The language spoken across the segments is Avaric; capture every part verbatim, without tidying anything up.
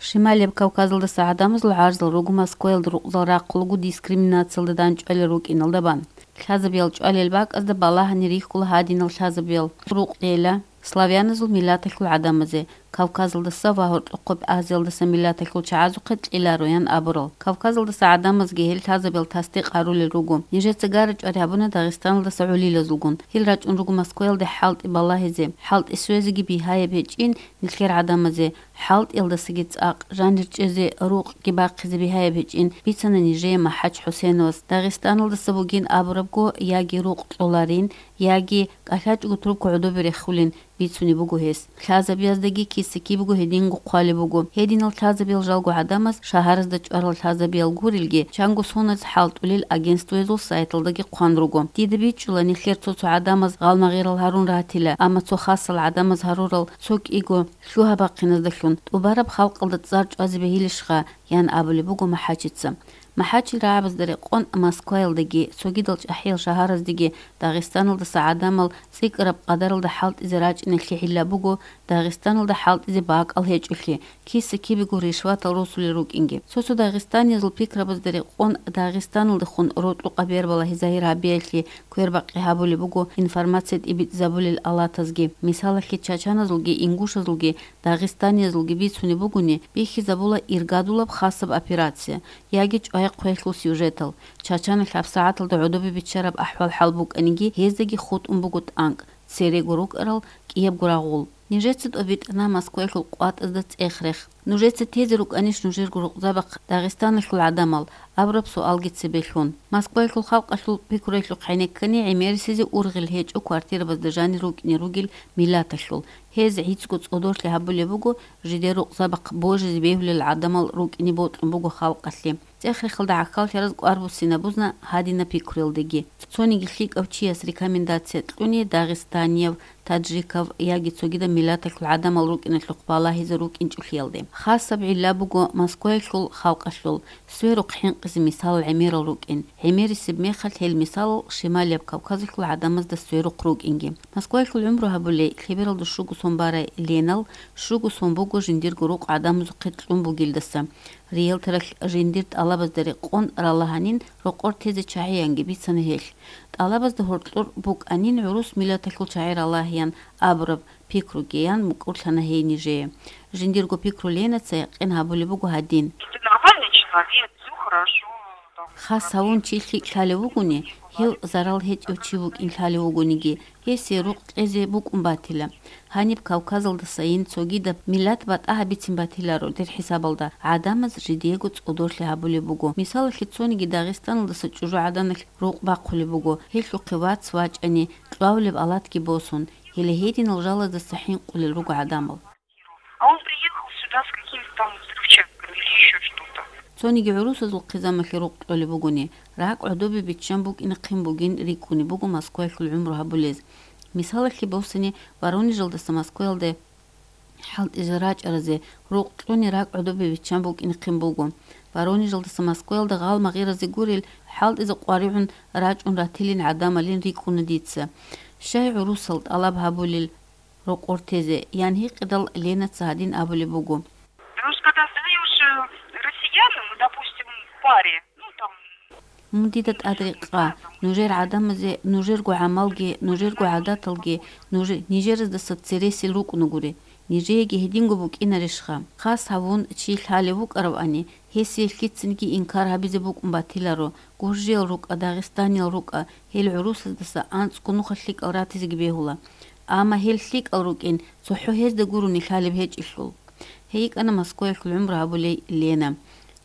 Шималияб Кавказалдаса гӀадамазул гӀарзал руго Москваялда рукъзал рахъулго дискриминациялда дандчӀвалел рукӀиналда бан. Лъазабиял чӀвалел бакӀазда балагьани рихьула гьадинал лъазабиял рукъ кьела славяназул миллаталъул гӀадамазе, Кавказалдаса ва гьоркьохъеб Азиялдаса миллаталъул чагӀазухъе кьелароян абурал. Кавказалдаса гӀадамазги гьел лъазабиял тасдикъ гьарулел руго. Нижеца гара-чӀвари гьабуна Дагъистаналдаса гӀолилазулгун. Гьел рачӀун руго Москваялде хӀалтӀи балагьизе, хӀалтӀи свезеги бигьаяб гьечӀин нилъер гӀадамазе, хӀалтӀиялдасаги цӀакъ, жанир чӀезе, рукъги бахъизе бигьаяб гьечӀин, бицана нижее МахӀач ХӀусеновас. Дагъистаналдаса бугин абурабго, яги рукъ кьоларин, яги кӀалъачӀого трубка гӀодобе рехулин, бицунеб буго гьес. Лъазабияздаги киса-кибего гьединго хъвалеб буго. Гьединал лъазабиял жалго гӀадамаз шагьаразда чӀварал лъазабиял гурелги, чанго соназ хӀалтӀулел агентствоязул сайталдаги хъван руго. Дида бичӀчӀула, нилъер цо-цо гӀадамаз гъалмагъирал гьарун ратила, амма цо хасал гӀадамаз гьарурал цо кӀиго лъугьа-бахъиназдалъун тӀубараб халкъалда цӀар чӀвазе бегьилищха, ян абулеб буго МахӀачица. МахӀачил рагӀабазда рекъон Москваялдаги, цогидал чӀахӀиял шагьараздеги Дагъистаналдаса гӀадамал цӀикӀкӀараб къадаралда хӀалтӀизе рачӀиналъе гӀилла буго, Дагъистаналда хӀалтӀизе бакӀал гьечӀолъи, киса-кибего ришватал росулел рукӀинги. Цо-цо дагъистаниязул пикрабазда рекъон Дагъистаналдехун рокьукъа бербалагьи загьир гьабиялъе квербакъи гьабулеб буго информация тӀибитӀизабулел алатазги. Мисалалъе, чачаназулги ингушазулги дагъистаниязулги бицунеб бугони, бихьизабула иргадулаб хасаб операция яги чӀвай-хъвелъул сюжетал. Чачаналъ гьабсагӀаталда гӀодобе биччараб ахӀвал-хӀал букӀаниги, гьездаги хутӀун буго тӀанкӀ, церего рукӀарал кӀиябго рагъул. Нижеца тӀобитӀана Москваялъул къватӀазда цӀех-рех. Нужеца тезе рукӀанищ нужерго рукъзабахъ Дагъистаналъул гӀадамал? Абураб суалги цебе лъун. Москваялъул халкъалъул пикруялъухъ гӀенеккани гӀемерисезе ургъел гьечӀо квартирабазда жанир рукӀине ругел миллаталъул. Гьез гӀицӀго цӀодорлъи гьабулеб буго, жидер рукъзабахъ божизе бегьулел гӀадамал рукӀине бокьун буго халкъалъе. ЦӀех-рехалда гӀахьаллъараз кӀвар буссина бузна гьадинаб пикруялдеги. Цониги лъикӀав чияс рекомендация кьуни дагъистанияв, таджикав яги цогидаб миллаталъул гӀадамал рукӀиналъухъ балагьизе рукӀинчӀолъиялде. Хасаб гӀилла буго Москваялъул халкъалъул, сверухъ хӀинкъизе мисалал гӀемерал рукӀин. ГӀемерисеб мехалъ гьел мисалал Шималияб Кавказалъул гӀадамазда сверухъ рукӀинги. Москваялъул гӀумру гьабулей лъебералда щуго сон барай Ленал щуго сон буго жиндирго рукъ гӀадамазухъе кьун бугелдаса. Риэлторалъ жиндир тӀалабазда рекъон ралагьанин рокъор тезе чагӀиянги бицана гьелъ. ТӀалабазда гьоркьор букӀанин гӀурус миллаталъул чагӀи ралагьиян абураб пикругиян мукӀурлъана гьей нижее. Жиндирго пикру Ленаца якъин гьабулеб буго гьадин. Ты нормальный человек, всё хорошо. Хас гьавун чи лъикӀ лъалев вугони, гьев зарал гьечӀев чи вукӀин лъалев вугониги, гьесие рукъ кьезе букӀун батила. Гьаниб Кавказалдасайин цогидаб миллат батӀа гьабицин батиларо дир хӀисабалда, гӀадамаз жидиего цӀодорлъи гьабулеб буго. Мисалалъе, цониги Дагъистаналдаса чӀужугӀаданалъ рукъ бахъулеб буго, гьелъухъе вац вачӀани, кьвавлеб алатги босун, гьеле гьединал жалаздаса хӀинкъулел руго гӀадамал. А он приехал сюда с какими-то там взрывчатками или ещё что-то. Цониги гӀурусазул хъизамалъе рукъ кьолеб бугони, ракӀ гӀодобе биччан букӀинахъин бугин рикӀкӀунеб буго Москваялъул гӀумру гьабулез. Мисалалъе босани, Воронежалдаса Москваялде хӀалтӀизе рачӀаразе рукъ кьуни ракӀ гӀодобе биччан букӀинахъин буго. Воронежалдаса Москваялда гъалмагъиразе гурел хӀалтӀизе къваригӀун рачӀун ратилин гӀадамалин рикӀкӀуна дица. Щай гӀурусал тӀалаб гьабулел рокъор тезе, ян гьикъидал Ленаца гьадин абулеб буго. Потому что когда сдаёшь, э, россиянам, допустим, в паре, ну, там, Мун дида тӀад рекъа, нужер гӀадамазе нужерго гӀамалги, нужерго гӀадаталги, нуж-, нижераздаса цересел рукӀунагури. Нижееги гьединго букӀинарищха? Хас гьавун чи лъалев вукӀаравани, гьесие лъицинги инкар гьабизе букӀун батиларо, гуржиял рукӀа, дагъистаниял рукӀа, гьел гӀурусаздаса анцӀго нуха лъикӀал ратизеги бегьула. Амма гьел лъикӀал рукӀин, цохӀо гьезда гурони лъалеб гьечӀелъул. Гьей йикӀана Москваялъул гӀумру гьабулей Лена.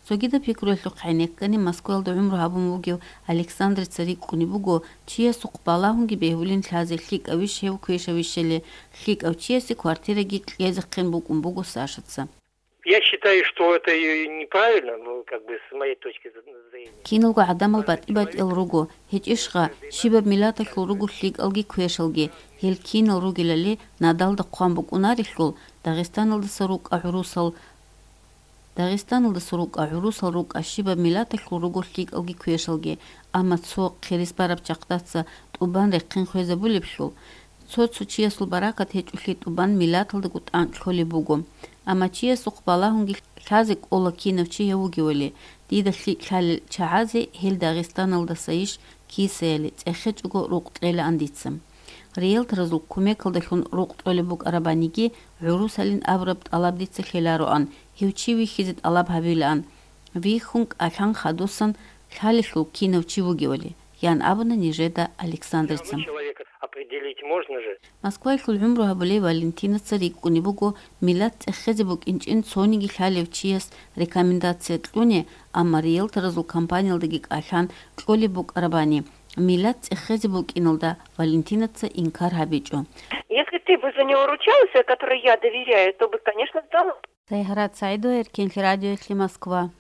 Цогидаб пикруялъухъ гӀенеккани Москваялда гӀумру гьабун вугев Александрица рикӀкӀунеб буго, чиясухъ балагьунги бегьулин лъазе лъикӀавищ гьев квешавищали, лъикӀав чиясе квартираги кьезехъин букӀун буго Сашаца. Я считаю, что это и неправильно, ну, как бы, с моей точки зрения. Киналго гӀадамал батӀи-батӀиял руго, гьечӀищха, щибаб миллаталъул руго лъикӀалги квешалги, гьел кинал ругелали надалда хъван букӀунарелъул, Дагъистаналдаса рукӀа гӀурусал, Дагъистаналдаса рукӀа гӀурусал рукӀа щибаб миллаталъул руго лъикӀалги квешалги, амма цо хъирис бараб чахъдаца тӀубан рехъин хвезабулеблъул, цо-цо чиясул баракат гьечӀолъи тӀубан миллаталдаго тӀанкӀ лъолеб буго. Амма чиясухъ балагьунги Лъазе кӀола кинав чи гьев вугевали, дида лъикӀ лъалел чагӀазе гьел Дагъистаналдасайищ кисаяли, цӀехечӀого рукъ кьелаан дица. Риэлторазул кумекалдалъун рукъ кьолеб букӀарабаниги, гӀурусалин абураб тӀалаб дица лъелароан, гьев чи вихьизе тӀалаб гьабилаан. Вихьун кӀалъан хадусан лъалелъул кинав чи вугевали, ян абуна нижеда Александрица. Всё равно человека определить можно же. Москваялъул гӀумру гьабулей Валентинаца рикӀкӀунеб буго, миллат цӀехезе букӀинчӀин цониги лъалев чияс рекомендация кьуне, амма риэлторазул компаниялдаги кӀалъан кьолеб букӀарабани, миллат цӀехезе букӀиналда Валентинаца инкар гьабичӀо. Если ты бы за него ручался, который я доверяю, то бы, конечно, сдал. Сайгьарат СагӀидова, Эркенлъи радиоялъе, Москва.